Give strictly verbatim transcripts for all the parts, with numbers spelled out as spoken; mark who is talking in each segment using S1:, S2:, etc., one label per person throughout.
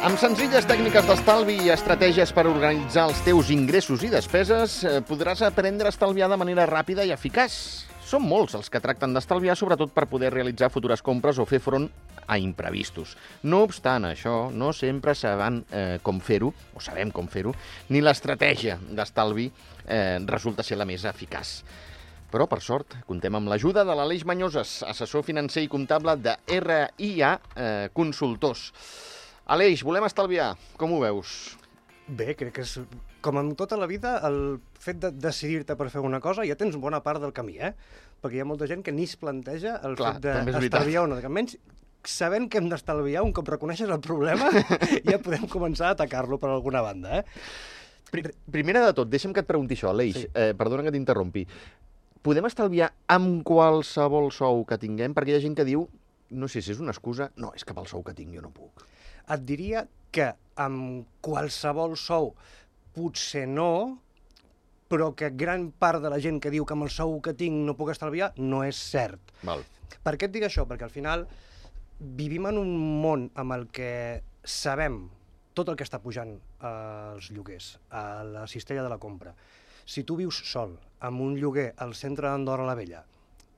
S1: Amb senzilles tècniques d'estalvi i estratègies per organitzar els teus ingressos i despeses, podràs aprendre a estalviar de manera ràpida i eficaç. Són molts els que tracten d'estalviar, sobretot per poder realitzar futures compres o fer front a imprevistos. No obstant això, no sempre saben eh, com fer-ho, o sabem com fer-ho, ni l'estratègia d'estalvi eh, resulta ser la més eficaç. Però, per sort, contem amb l'ajuda de l'Aleix Mañoses, assessor financer i comptable de R I A eh, Consultors. Aleix, volem estalviar. Com ho veus?
S2: Bé, crec que és, com en tota la vida, el fet de decidir-te per fer una cosa ja tens bona part del camí, eh? Perquè hi ha molta gent que ni es planteja el
S1: Clar,
S2: fet d'estalviar o no. Almenys, sabent que hem d'estalviar, un cop reconeixes el problema, ja podem començar a atacar-lo per alguna banda, eh?
S1: Primera de tot, deixa'm que et pregunti això, Aleix.
S2: Sí.
S1: Eh, perdona que t'interrompi. Podem estalviar amb qualsevol sou que tinguem? Perquè hi ha gent que diu, no sé si és una excusa, no, és que pel sou que tinc jo no puc.
S2: Et diria que amb qualsevol sou potser no, però que gran part de la gent que diu que amb el sou que tinc no puc estalviar no és cert.
S1: Val.
S2: Per què et dic això? Perquè al final vivim en un món amb el que sabem tot el que està pujant als lloguers, a la cistella de la compra. Si tu vius sol, amb un lloguer al centre d'Andorra la Vella,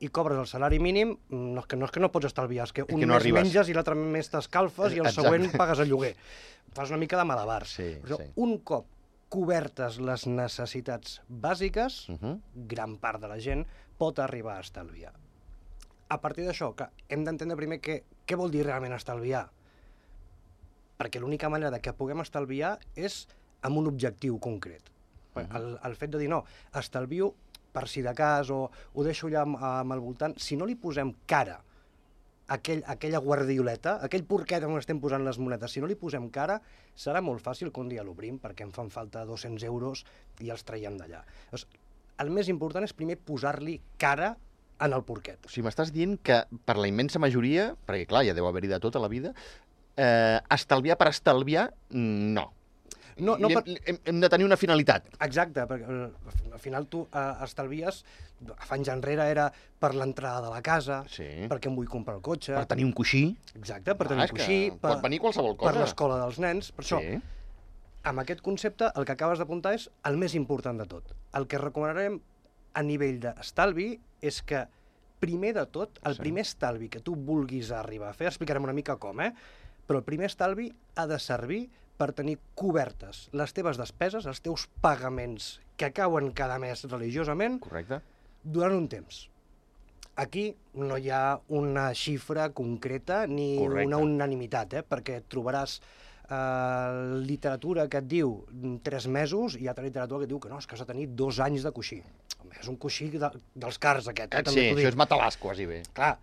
S2: i cobres el salari mínim, no és que no, és que no pots estalviar, és que un
S1: que no
S2: mes
S1: arribes.
S2: menges i l'altre mes t'escalfes i el
S1: Exacte.
S2: següent pagues el lloguer. Fas una mica de malabar.
S1: Sí,
S2: Però
S1: sí.
S2: un cop cobertes les necessitats bàsiques,
S1: Uh -huh.
S2: gran part de la gent pot arribar a estalviar. A partir d'això, que hem d'entendre primer què, què vol dir realment estalviar. Perquè l'única manera de que puguem estalviar és amb un objectiu concret. Uh -huh. el, el fet de dir, no, estalvio per si de cas, o ho deixo allà amb, amb el voltant, si no li posem cara a aquell, a aquella guardioleta, a aquell porquet on estem posant les monedes, si no li posem cara, serà molt fàcil que un dia l'obrim perquè em fan falta dos-cents euros i els traiem d'allà. Llavors, el més important és primer posar-li cara en el porquet.
S1: O sigui, m'estàs dient que per la immensa majoria, perquè clar, ja deu haver-hi de tot a la vida, eh, estalviar per estalviar, no.
S2: No, no
S1: hem,
S2: per...
S1: hem, hem de tenir una finalitat.
S2: Exacte, perquè al final tu eh, estalvies, fa anys enrere era per l'entrada de la casa,
S1: Sí.
S2: perquè em vull comprar el cotxe...
S1: Per tenir un coixí.
S2: Exacte, per
S1: Ah,
S2: tenir
S1: és
S2: un
S1: que
S2: coixí, per,
S1: pot venir qualsevol cosa.
S2: per l'escola dels nens, per això.
S1: Sí.
S2: Amb aquest concepte, el que acabes d'apuntar és el més important de tot. El que recomanarem a nivell d'estalvi és que, primer de tot, el
S1: Sí.
S2: primer estalvi que tu vulguis arribar a fer, explicarem una mica com, eh? Però el primer estalvi ha de servir per tenir cobertes les teves despeses, els teus pagaments que cauen cada mes religiosament,
S1: Correcte.
S2: durant un temps. Aquí no hi ha una xifra concreta ni
S1: Correcte.
S2: una unanimitat, eh? Perquè trobaràs eh, literatura que et diu tres mesos i altra literatura que et diu que no, és que has de tenir dos anys de coixí. Home, és un coixí de, dels cars, aquest. Eh?
S1: Sí,
S2: També t'ho
S1: això
S2: dic.
S1: és matalàs, quasi bé.
S2: Clar,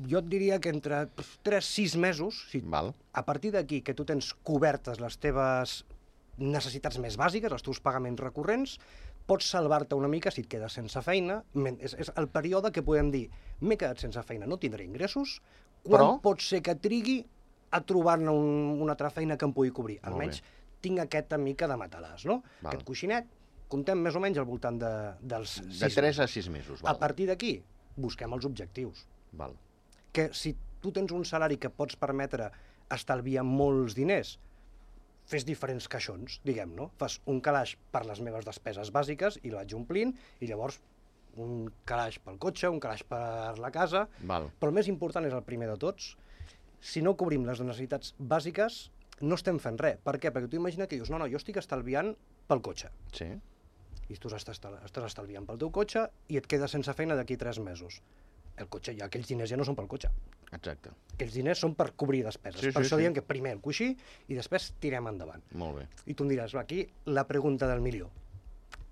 S2: jo et diria que entre tres a sis mesos, si
S1: Val.
S2: a partir d'aquí que tu tens cobertes les teves necessitats més bàsiques, els teus pagaments recurrents, pots salvar-te una mica si et quedes sense feina. És, és el període que podem dir, m'he quedat sense feina, no tindré ingressos, quan
S1: Però...
S2: pot ser que trigui a trobar-ne un, una altra feina que em pugui cobrir.
S1: Molt
S2: Almenys
S1: bé.
S2: tinc aquesta mica de matalàs, no?
S1: Val.
S2: Aquest coixinet, comptem més o menys al voltant de, dels
S1: De
S2: sis
S1: tres a
S2: mesos.
S1: sis mesos.
S2: A
S1: Val.
S2: partir d'aquí, busquem els objectius.
S1: Val.
S2: Que si tu tens un salari que pots permetre estalviar molts diners, fes diferents caixons, diguem, no? Fas un calaix per les meves despeses bàsiques i la vaig omplint, i llavors un calaix pel cotxe, un calaix per la casa,
S1: Val.
S2: però el més important és el primer de tots. Si no cobrim les necessitats bàsiques, no estem fent res. Per què? Perquè tu imagina que dius, no, no, jo estic estalviant pel cotxe.
S1: Sí.
S2: I tu estàs, estàs estalviant pel teu cotxe i et quedes sense feina d'aquí tres mesos. El cotxe, ja aquells diners ja no són pel cotxe.
S1: Exacte.
S2: Aquells diners són per cobrir despeses.
S1: Sí,
S2: per
S1: sí,
S2: això
S1: sí.
S2: diem que primer el coixí i després tirem endavant.
S1: Molt bé.
S2: I tu em diràs, va, aquí la pregunta del milió.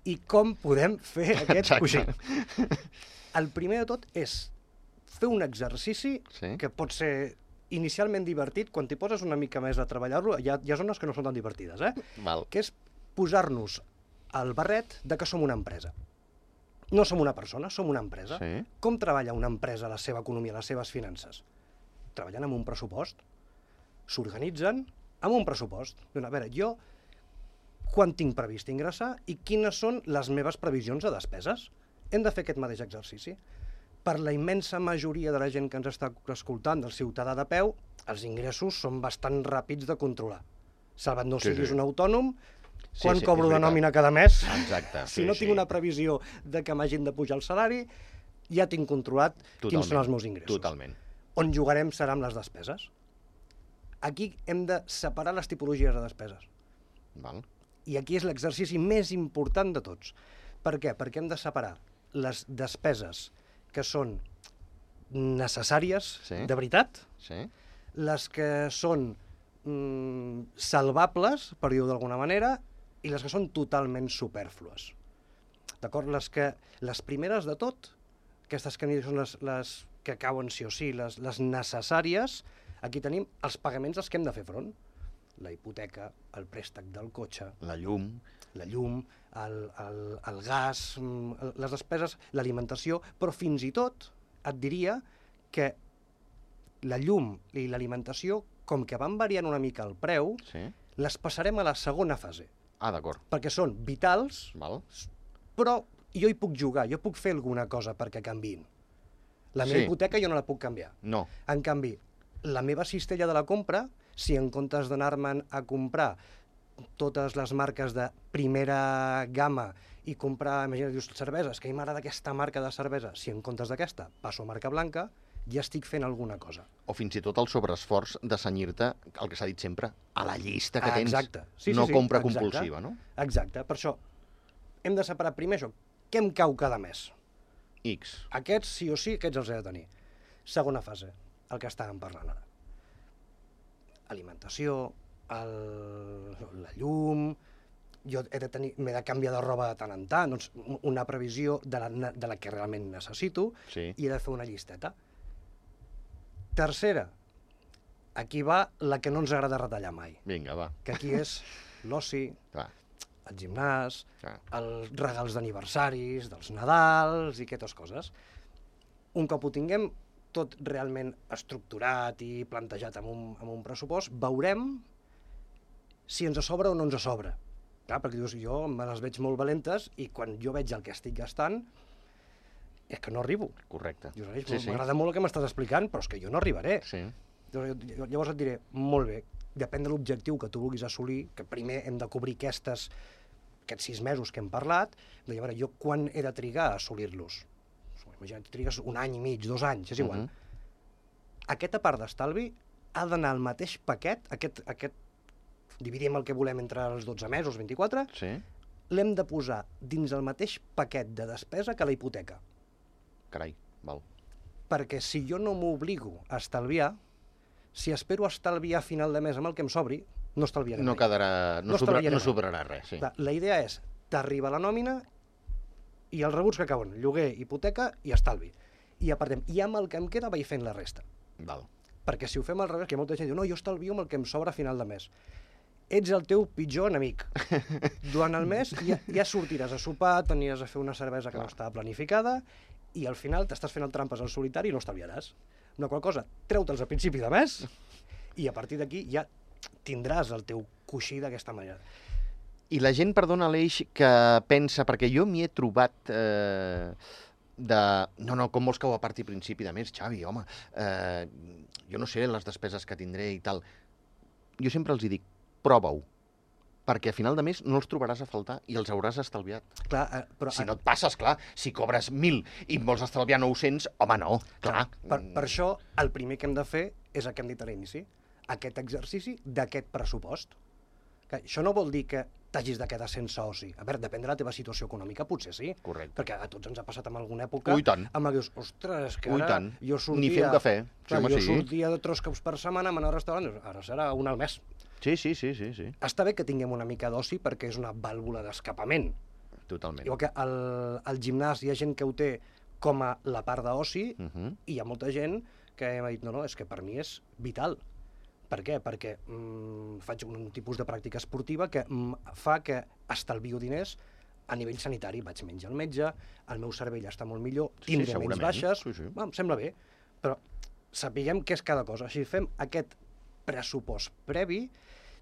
S2: I com podem fer aquest
S1: Exacte.
S2: coixí? El primer de tot és fer un exercici
S1: Sí.
S2: que pot ser inicialment divertit, quan t'hi poses una mica més a treballar-lo, hi, ha, hi ha zones que no són tan divertides, eh?
S1: Val.
S2: Que és posar-nos el barret de que som una empresa. No som una persona, som una empresa.
S1: Sí.
S2: Com treballa una empresa la seva economia, les seves finances? Treballant amb un pressupost. S'organitzen amb un pressupost. A veure, jo quan tinc previst ingressar i quines són les meves previsions de despeses? Hem de fer aquest mateix exercici. per la immensa majoria de la gent que ens està escoltant, del ciutadà de peu, els ingressos són bastant ràpids de controlar. Salvat no
S1: Sí,
S2: siguis
S1: sí.
S2: un autònom,
S1: Sí,
S2: quan
S1: sí,
S2: cobro
S1: és
S2: de
S1: veritat.
S2: nòmina cada mes,
S1: Exacte,
S2: si
S1: sí,
S2: no
S1: sí.
S2: tinc una previsió de que m'hagin de pujar el salari, ja tinc controlat
S1: Totalment,
S2: quins són els meus ingressos.
S1: Totalment.
S2: On jugarem serà amb les despeses. Aquí hem de separar les tipologies de despeses.
S1: Val.
S2: I aquí és l'exercici més important de tots. Per què? Perquè hem de separar les despeses que són necessàries,
S1: Sí.
S2: de veritat,
S1: Sí?
S2: les que són mm, salvables, per dir-ho d'alguna manera, i les que són totalment supèrflues. D'acord? Les, que, les primeres de tot, aquestes que són les, les que cauen sí o sí, les, les necessàries, aquí tenim els pagaments als que hem de fer front. La hipoteca, el préstec del cotxe,
S1: La llum...
S2: la llum, el, el, el gas, mm, les despeses, l'alimentació, però fins i tot et diria que la llum i l'alimentació, com que van variant una mica el preu,
S1: Sí?
S2: les passarem a la segona fase,
S1: Ah, d'acord.
S2: perquè són vitals,
S1: Val.
S2: però jo hi puc jugar, jo puc fer alguna cosa perquè canviïn. La meva
S1: Sí.
S2: hipoteca jo no la puc canviar.
S1: No.
S2: En canvi, la meva cistella de la compra, si en comptes d'anar-me'n a comprar totes les marques de primera gamma i comprar, imagina't, dius, cerveses, que a mi m'agrada aquesta marca de cervesa, si en comptes d'aquesta passo a marca blanca, ja estic fent alguna cosa.
S1: O fins i tot el sobreesforç de senyir-te, el que s'ha dit sempre, a la llista que
S2: Ah,
S1: tens.
S2: exacte. Sí, sí,
S1: no
S2: sí,
S1: compra
S2: exacte.
S1: compulsiva, no?
S2: Exacte, per això hem de separar primer això. Què em cau cada mes?
S1: X.
S2: Aquests sí o sí, aquests els he de tenir. Segona fase, el que estàvem parlant ara. Alimentació, el, la llum, jo he de tenir, m'he de canviar de roba de tant en tant, doncs una previsió de la, de la que realment necessito
S1: Sí.
S2: i he de fer una llisteta. Tercera, aquí va la que no ens agrada retallar mai,
S1: Vinga, va.
S2: que aquí és l'oci,
S1: Clar,
S2: el gimnàs,
S1: clar.
S2: els regals d'aniversaris, dels Nadals i aquestes coses. Un cop ho tinguem tot realment estructurat i plantejat amb un, amb un pressupost, veurem si ens sobra o no ens sobra. Clar, perquè dius, jo me les veig molt valentes i quan jo veig el que estic gastant és que no arribo.
S1: Correcte.
S2: Dius, "Aleix,
S1: Sí, sí.
S2: m'agrada molt el que m'estàs explicant, però és que jo no arribaré.
S1: Sí.
S2: Llavors llavors et diré, molt bé, depèn de l'objectiu que tu vulguis assolir, que primer hem de cobrir aquestes, aquests sis mesos que hem parlat, de llavors jo quan he de trigar a assolir-los? Imagina't, trigues un any i mig, dos anys, és igual.
S1: Mhm.
S2: Aquesta part d'estalvi ha d'anar al mateix paquet, aquest, aquest, dividim el que volem entre els dotze mesos, vint-i-quatre,
S1: Sí?
S2: l'hem de posar dins el mateix paquet de despesa que la hipoteca.
S1: Carai, val.
S2: Perquè si jo no m'obligo a estalviar, si espero estalviar a final de mes amb el que em sobri, no estalviaré
S1: No
S2: mai.
S1: quedarà... No,
S2: No
S1: sobra,
S2: estalviaré
S1: no
S2: mai.
S1: sobrarà res, sí.
S2: Clar, la idea és, t'arriba la nòmina i els rebuts que cauen, lloguer, hipoteca i estalvi. I apartem. I amb el que em queda vaig fent la resta.
S1: Val.
S2: Perquè si ho fem al revés, que hi ha molta gent que diu, no, jo estalvio amb el que em sobra a final de mes. Ets el teu pitjor enemic. Durant el mes ja, ja sortiràs a sopar, t'aniràs a fer una cervesa que no estava planificada i al final t'estàs fent el trampes al solitari i no estalviaràs. Una qual cosa, treu-te'ls a principi de mes i a partir d'aquí ja tindràs el teu coixí d'aquesta manera.
S1: I la gent, perdona, Aleix, que pensa, perquè jo m'hi he trobat eh, de... No, no, com vols que ho aparti a principi de mes, Xavi, home, eh, jo no sé les despeses que tindré i tal. Jo sempre els hi dic, prova-ho, perquè a final de mes no els trobaràs a faltar i els hauràs estalviat.
S2: Clar, eh, però,
S1: Si no et passes, clar, si cobres mil i en vols estalviar nou-cents, home, no, clar.
S2: Per, per això, el primer que hem de fer és el que hem dit a l'inici, aquest exercici d'aquest pressupost. Que això no vol dir que t'hagis de quedar sense oci. A veure, depèn de la teva situació econòmica, potser sí.
S1: Correcte.
S2: Perquè a tots ens ha passat en alguna època
S1: Ui, tant.
S2: amb la que dius, ostres, que
S1: Ui,
S2: ara
S1: tant.
S2: jo sortia...
S1: Ni fer un cafè. Sí,
S2: Clar,
S1: home,
S2: jo
S1: sí.
S2: sortia de tres cops per setmana, m'anava al restaurant, dius, ara serà un al mes.
S1: Sí, sí, sí, sí, sí,
S2: Està bé que tinguem una mica d'oci perquè és una vàlvula d'escapament.
S1: totalment.
S2: Igual que al, al gimnàs hi ha gent que ho té com a la part d'oci,
S1: Uh -huh.
S2: i hi ha molta gent que m'ha dit, no, no, és que per mi és vital. Per què? Perquè mm, faig un tipus de pràctica esportiva que mm, fa que estalvio diners a nivell sanitari. Vaig menys al metge, el meu cervell està molt millor,
S1: Sí,
S2: tindré menys
S1: segurament.
S2: baixes,
S1: Sí, sí.
S2: Va, em sembla bé, però sapiguem què és cada cosa. Així fem aquest pressupost previ,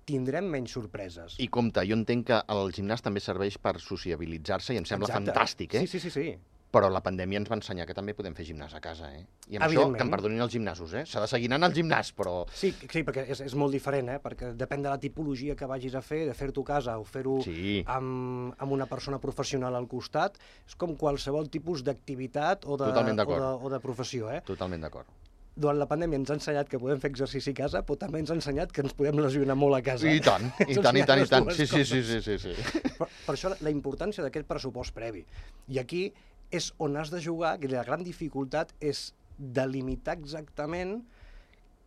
S2: tindrem menys sorpreses.
S1: I compte, jo entenc que el gimnàs també serveix per sociabilitzar-se i em sembla
S2: Exacte.
S1: fantàstic, eh?
S2: Sí, sí, sí, sí.
S1: Però la pandèmia ens va ensenyar que també podem fer gimnàs a casa, eh? I amb això, que em perdonin els gimnasos, eh? S'ha de seguir anant al gimnàs, però...
S2: Sí, sí, perquè és, és molt diferent, eh? Perquè depèn de la tipologia que vagis a fer, de fer-t'ho a casa o fer-ho
S1: Sí.
S2: amb, amb una persona professional al costat, és com qualsevol tipus d'activitat o, de,
S1: Totalment
S2: o,
S1: d'acord.
S2: de, o de professió, eh?
S1: Totalment d'acord.
S2: Durant la pandèmia ens ha ensenyat que podem fer exercici a casa, però també ens ha ensenyat que ens podem lesionar molt a casa.
S1: I tant, i tant, i tant, i tant. Sí, sí, sí, sí, sí, sí.
S2: Per, per això la importància d'aquest pressupost previ. I aquí és on has de jugar, que la gran dificultat és delimitar exactament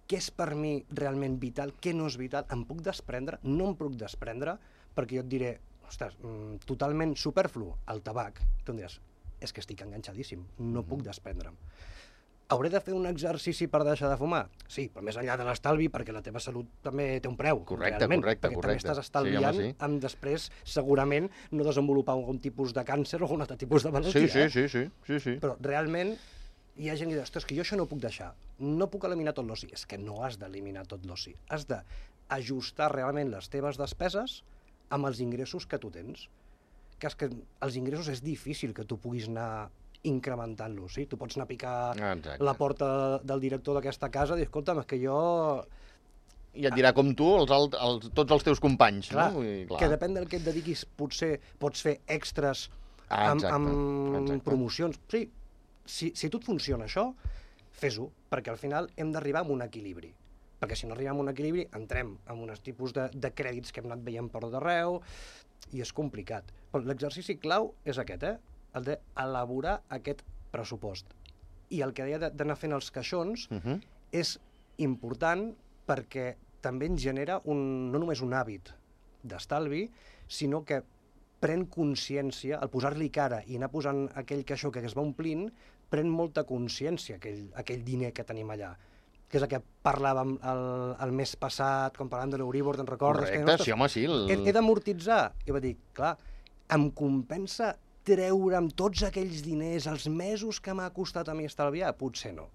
S2: què és per mi realment vital, què no és vital, em puc desprendre, no em puc desprendre, perquè jo et diré, ostres, totalment superflu, el tabac. Tu em diràs, és que estic enganxadíssim, no puc desprendre'm. Hauré de fer un exercici per deixar de fumar? Sí, però més enllà de l'estalvi, perquè la teva salut també té un preu.
S1: Correcte,
S2: realment,
S1: correcte,
S2: perquè
S1: correcte.
S2: també estàs estalviant
S1: Sí, home, sí.
S2: amb després, segurament, no desenvolupar algun tipus de càncer o algun altre tipus de malaltia.
S1: Sí, sí,
S2: eh?
S1: sí, sí, sí, sí.
S2: Però realment hi ha gent que diu, ostres, que jo això no ho puc deixar, no puc eliminar tot l'oci. És que no has d'eliminar tot l'oci. Has d'ajustar realment les teves despeses amb els ingressos que tu tens. Que és que els ingressos és difícil que tu puguis anar incrementant-los, sí? Tu pots anar a picar
S1: Exacte.
S2: la porta del director d'aquesta casa i dir, escolta'm, és que jo...
S1: I et dirà com tu els, alt- els, tots els teus companys,
S2: Clar,
S1: no? I, clar.
S2: que depèn del que et dediquis, potser pots fer extras
S1: Ah,
S2: amb,
S1: exacte,
S2: amb
S1: exacte.
S2: promocions. Sí, si, si a tu et funciona això, fes-ho, perquè al final hem d'arribar a un equilibri. Perquè si no arribem a un equilibri, entrem en uns tipus de, de crèdits que hem anat veient per tot arreu, i és complicat. Però l'exercici clau és aquest, eh? El d'elaborar aquest pressupost. I el que deia de- d'anar fent els caixons
S1: Uh -huh.
S2: és important perquè també ens genera un, no només un hàbit d'estalvi, sinó que pren consciència, al posar-li cara i anar posant aquell caixó que es va omplint, pren molta consciència aquell, aquell diner que tenim allà. Que és el que parlàvem el, el mes passat, quan parlàvem de l'Euribor, te'n recordes?
S1: Correcte,
S2: que, ostres,
S1: sí, home, sí. El...
S2: he, he d'amortitzar. I va dir, clar, em compensa treure'm tots aquells diners, els mesos que m'ha costat a mi estalviar? Potser no.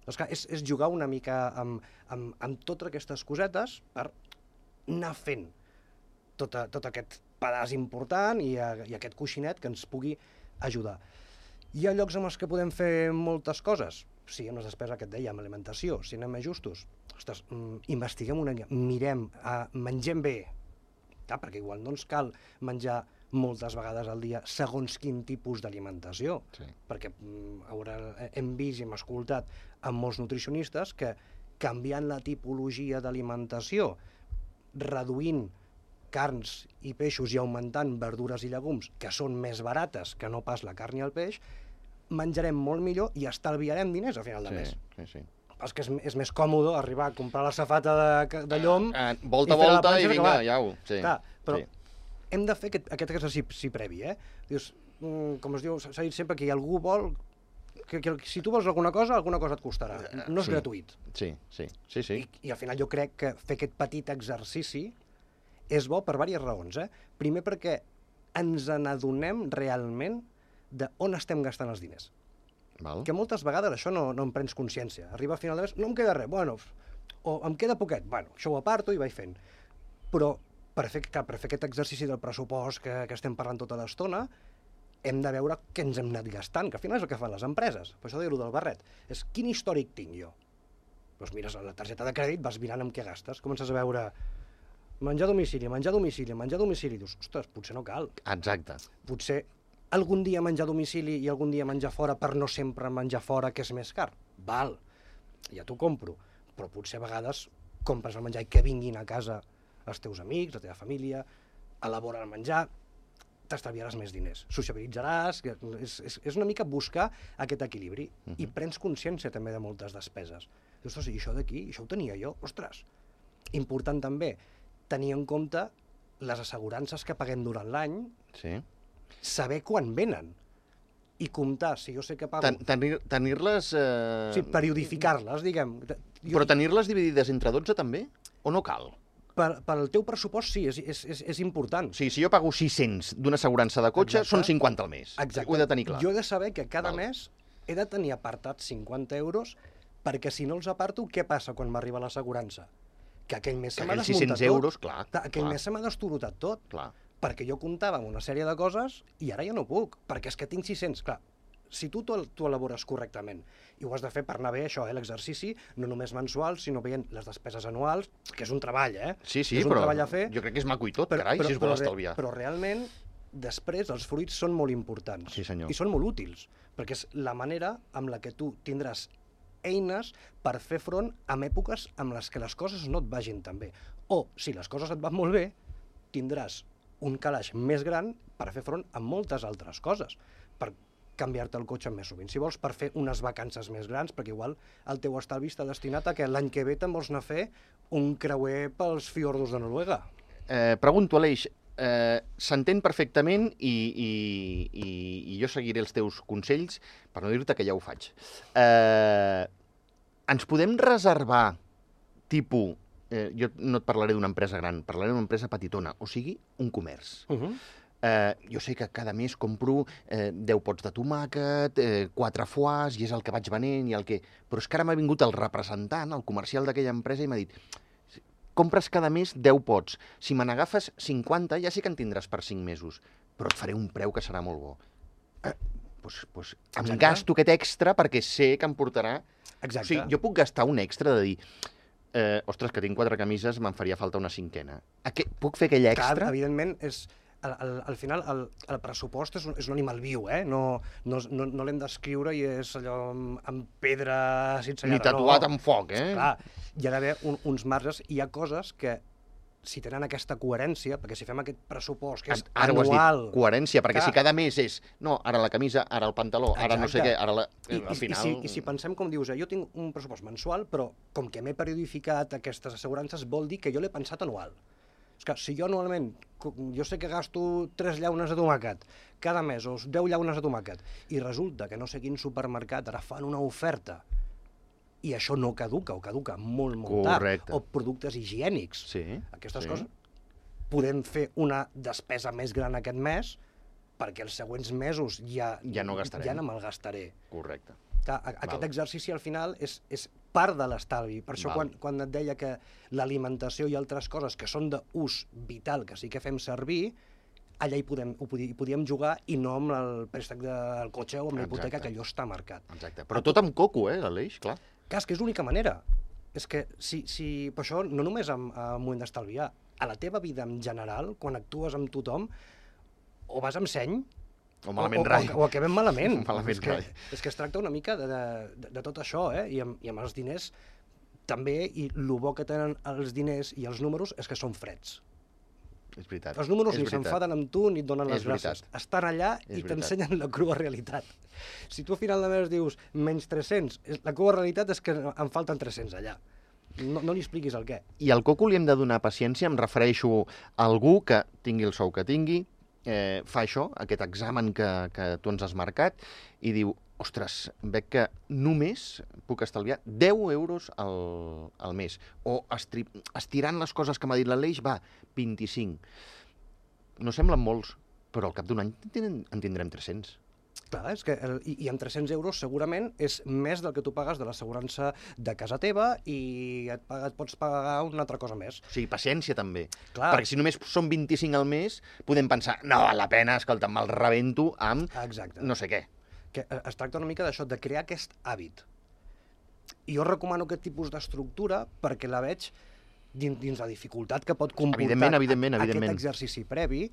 S2: Doncs clar, és, és jugar una mica amb, amb, amb totes aquestes cosetes per anar fent tot, a, tot aquest pedaç important i, a, i aquest coixinet que ens pugui ajudar. Hi ha llocs en els que podem fer moltes coses. Sí, amb les despeses que et deia, amb alimentació, si anem més justos. Ostres, mm, investiguem una mica, mirem, uh, mengem bé. Clar, perquè igual no ens cal menjar moltes vegades al dia segons quin tipus d'alimentació.
S1: Sí.
S2: Perquè mm, haurà, hem vist i hem escoltat amb molts nutricionistes que canviant la tipologia d'alimentació, reduint carns i peixos i augmentant verdures i llegums, que són més barates que no pas la carn i el peix, menjarem molt millor i estalviarem diners a final de mes.
S1: Sí, sí, sí.
S2: És que és, és més còmode arribar a comprar la safata de, de llom...
S1: Ah, volta a
S2: i fer la
S1: volta
S2: panxa
S1: i
S2: i
S1: vinga,
S2: acabar.
S1: ja ho... Sí,
S2: Clar, però
S1: sí.
S2: hem de fer aquest, aquest exercici previ, eh? Dius, mm, com es diu, s'ha dit sempre que algú vol... Que, que si tu vols alguna cosa, alguna cosa et costarà. No és
S1: Sí.
S2: gratuït.
S1: Sí, sí, sí, sí.
S2: I, I al final jo crec que fer aquest petit exercici és bo per diverses raons, eh? Primer perquè ens n'adonem realment de on estem gastant els diners.
S1: Val.
S2: Que moltes vegades això no, no en prens consciència. Arriba a final de mes, no em queda res, bueno, o em queda poquet, bueno, això ho aparto i vaig fent. Però per fer, clar, per fer aquest exercici del pressupost que, que estem parlant tota l'estona, hem de veure què ens hem anat gastant, que al final és el que fan les empreses. Per això deia-ho del barret. És quin històric tinc jo? Doncs mires la targeta de crèdit, vas mirant amb què gastes, comences a veure menjar a domicili, menjar a domicili, menjar a domicili, dius, ostres, potser no cal.
S1: Exacte.
S2: Potser algun dia menjar a domicili i algun dia menjar fora per no sempre menjar fora, que és més car. Val, ja t'ho compro. Però potser a vegades compres el menjar i que vinguin a casa els teus amics, la teva família, elabora el menjar, t'estalviaràs més diners, sociabilitzaràs, que és, és, és una mica buscar aquest equilibri uh -huh. i prens consciència també de moltes despeses. Dius, ostres, i això d'aquí, això ho tenia jo, ostres. Important també tenir en compte les assegurances que paguem durant l'any,
S1: Sí.
S2: saber quan venen i comptar, si jo sé que pago...
S1: Ten- tenir- Tenir-les... Eh...
S2: Sí, periodificar-les, diguem. Jo,
S1: Però tenir-les dividides entre dotze també? O no cal?
S2: per, per al teu pressupost sí, és, és, és, és important.
S1: O sigui, si jo pago sis-cents d'una assegurança de cotxe,
S2: Exacte.
S1: són cinquanta al mes.
S2: Exacte.
S1: Ho he de tenir clar.
S2: Jo he de saber que cada
S1: Val.
S2: mes he de tenir apartats cinquanta euros perquè si no els aparto, què passa quan m'arriba l'assegurança? Que aquell mes
S1: Que
S2: se m'ha
S1: aquells
S2: desmuntat
S1: sis-cents
S2: tot.
S1: euros, clar,
S2: Clar, Aquell
S1: clar.
S2: mes se m'ha destorotat tot.
S1: Clar.
S2: Perquè jo comptava amb una sèrie de coses i ara ja no puc, perquè és que tinc sis-cents. Clar, si tu t'ho elabores correctament, i ho has de fer per anar bé, això, eh, l'exercici, no només mensual, sinó veient les despeses anuals, que és un treball, eh?
S1: Sí, sí,
S2: és un
S1: però
S2: treball a fer,
S1: jo crec que és maco i tot,
S2: però,
S1: carai,
S2: però,
S1: si es vol
S2: però,
S1: estalviar.
S2: Però realment, després, els fruits són molt importants.
S1: Sí, senyor.
S2: I són molt útils, perquè és la manera amb la que tu tindràs eines per fer front a èpoques amb les que les coses no et vagin tan bé. O, si les coses et van molt bé, tindràs un calaix més gran per fer front a moltes altres coses, per canviar-te el cotxe més sovint, si vols, per fer unes vacances més grans, perquè igual el teu estalvi està destinat a que l'any que ve te'n vols anar a fer un creuer pels fiordos de Noruega.
S1: Eh, pregunto, Aleix, eh, s'entén perfectament i, i, i, i jo seguiré els teus consells, per no dir-te que ja ho faig. Eh, ens podem reservar, tipus, eh, jo no et parlaré d'una empresa gran, parlaré d'una empresa petitona, o sigui, un comerç.
S2: Uh -huh.
S1: eh, jo sé que cada mes compro eh, deu pots de tomàquet, eh, quatre foies, i és el que vaig venent, i el que... Però és que ara m'ha vingut el representant, el comercial d'aquella empresa, i m'ha dit compres cada mes deu pots. Si me n'agafes cinquanta, ja sé que en tindràs per cinc mesos, però et faré un preu que serà molt bo. Eh, doncs, doncs, em gasto aquest extra perquè sé que em portarà...
S2: Exacte.
S1: O sigui, jo puc gastar un extra de dir eh, ostres, que tinc quatre camises, me'n faria falta una cinquena. Aqu puc fer aquell extra?
S2: Clar, evidentment, és... Al, al, al final, el, el pressupost és un, és un animal viu, eh? No, no, no, no l'hem d'escriure i és allò amb, amb pedra cincellada.
S1: Ni tatuat
S2: no.
S1: amb foc, eh?
S2: Clar, hi ha d'haver un, uns marges, i hi ha coses que, si tenen aquesta coherència, perquè si fem aquest pressupost, que és
S1: ara
S2: anual...
S1: Ara ho has dit, coherència, perquè
S2: clar,
S1: si cada mes és, no, ara la camisa, ara el pantaló, ara
S2: exacte.
S1: no sé què, ara la...
S2: I,
S1: al final...
S2: i, si, I si pensem, com dius, eh, jo tinc un pressupost mensual, però com que m'he periodificat aquestes assegurances, vol dir que jo l'he pensat anual. És que si jo anualment, jo sé que gasto tres llaunes de tomàquet cada mes, o deu llaunes de tomàquet, i resulta que no sé quin supermercat ara fan una oferta, i això no caduca, o caduca molt, molt
S1: Correcte.
S2: tard, o productes higiènics,
S1: Sí,
S2: aquestes
S1: sí.
S2: coses, podem fer una despesa més gran aquest mes, perquè els següents mesos ja,
S1: Ja no gastarem.
S2: ja no me'l gastaré.
S1: Correcte.
S2: Clar, aquest
S1: Val.
S2: exercici al final és, és part de l'estalvi. Per això
S1: Val.
S2: quan, quan et deia que l'alimentació i altres coses que són d'ús vital, que sí que fem servir, allà hi podem, ho podíem, hi podíem jugar, i no amb el préstec del cotxe o amb la hipoteca, que allò està marcat.
S1: Exacte. Però tot amb coco, eh, Aleix, clar.
S2: Clar, és que és l'única manera. És que si, si, per això, no només en un moment d'estalviar, a la teva vida en general, quan actues amb tothom, o vas amb seny,
S1: O malament
S2: o,
S1: rai.
S2: o, o acabem malament.
S1: Malament
S2: és, que,
S1: rai.
S2: és que es tracta una mica de, de, de tot això, eh? I amb, i amb els diners també, i el bo que tenen els diners i els números és que són freds.
S1: És veritat.
S2: Els números
S1: és
S2: ni
S1: veritat.
S2: s'enfaden amb tu ni et donen les
S1: És veritat.
S2: gràcies. Estan allà
S1: És
S2: i
S1: veritat.
S2: t'ensenyen la crua realitat. Si tu a final de mes dius menys tres-cents, la crua realitat és que em falten tres-cents allà. No, no li expliquis el què.
S1: I al coco li hem de donar paciència, em refereixo a algú que tingui el sou que tingui, eh, fa això, aquest examen que, que tu ens has marcat, i diu, ostres, veig que només puc estalviar deu euros al, al mes. O estri, estirant les coses que m'ha dit l'Aleix, va, vint-i-cinc. No semblen molts, però al cap d'un any en en tindrem tres-cents.
S2: Clar, és que el, i, i amb tres-cents euros segurament és més del que tu pagues de l'assegurança de casa teva, i et, paga, et pots pagar una altra cosa més.
S1: O sigui, paciència també.
S2: Clar.
S1: Perquè si només són vint-i-cinc al mes, podem pensar, no val la pena, escolta, me'l rebento amb
S2: Exacte.
S1: no sé què.
S2: Que es tracta una mica d'això, de crear aquest hàbit. I jo recomano aquest tipus d'estructura perquè la veig dins, dins la dificultat que pot comportar
S1: Evidentment, evidentment, evidentment.
S2: aquest exercici previ.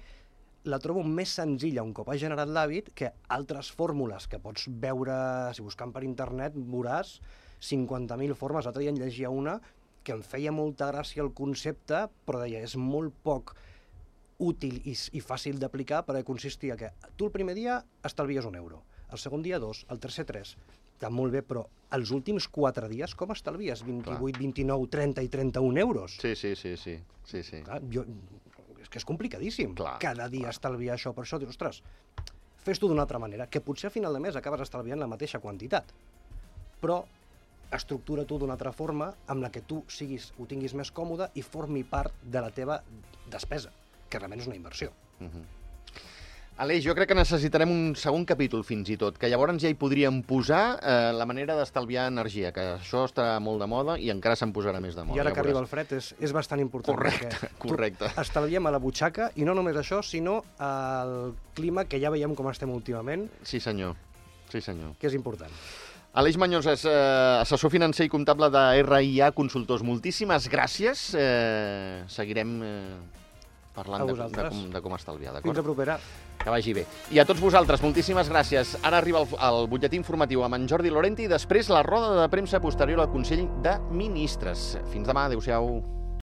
S2: La trobo més senzilla un cop has generat l'hàbit que altres fórmules que pots veure, si buscant per internet, veuràs cinquanta mil formes. L'altre dia en llegia una que em feia molta gràcia el concepte, però deia, és molt poc útil i, i fàcil d'aplicar, perquè consistia que tu el primer dia estalvies un euro, el segon dia dos, el tercer tres. Està molt bé, però els últims quatre dies com estalvies? vint-i-vuit, vint-i-nou, trenta i trenta-un euros?
S1: Sí, sí, sí, sí. sí, sí.
S2: Clar, jo, és que és complicadíssim.
S1: Clar,
S2: Cada dia
S1: clar.
S2: estalviar això. Per això dius, ostres, fes-t'ho d'una altra manera, que potser a final de mes acabes estalviant la mateixa quantitat, però estructura tu d'una altra forma amb la que tu siguis, ho tinguis més còmode i formi part de la teva despesa, que realment és una inversió.
S1: Uh -huh. Aleix, jo crec que necessitarem un segon capítol fins i tot, que llavors ja hi podríem posar eh, la manera d'estalviar energia, que això està molt de moda i encara se'n posarà més de moda.
S2: I ara
S1: ja
S2: que arriba el
S1: veuràs.
S2: fred és, és bastant important.
S1: Correcte,
S2: perquè
S1: correcte.
S2: tu estalviem a la butxaca, i no només això, sinó el clima, que ja veiem com estem últimament.
S1: Sí, senyor. Sí, senyor.
S2: Que és important.
S1: Aleix Mañós és eh, assessor financer i comptable de R I A Consultors. Moltíssimes gràcies. Eh, seguirem eh, parlant de, de, com, de com estalviar, d'acord?
S2: Fins a propera.
S1: Que vagi bé. I a tots vosaltres, moltíssimes gràcies. Ara arriba el, el butlletí informatiu amb en Jordi Lorente i després la roda de premsa posterior al Consell de Ministres. Fins demà, adéu-siau.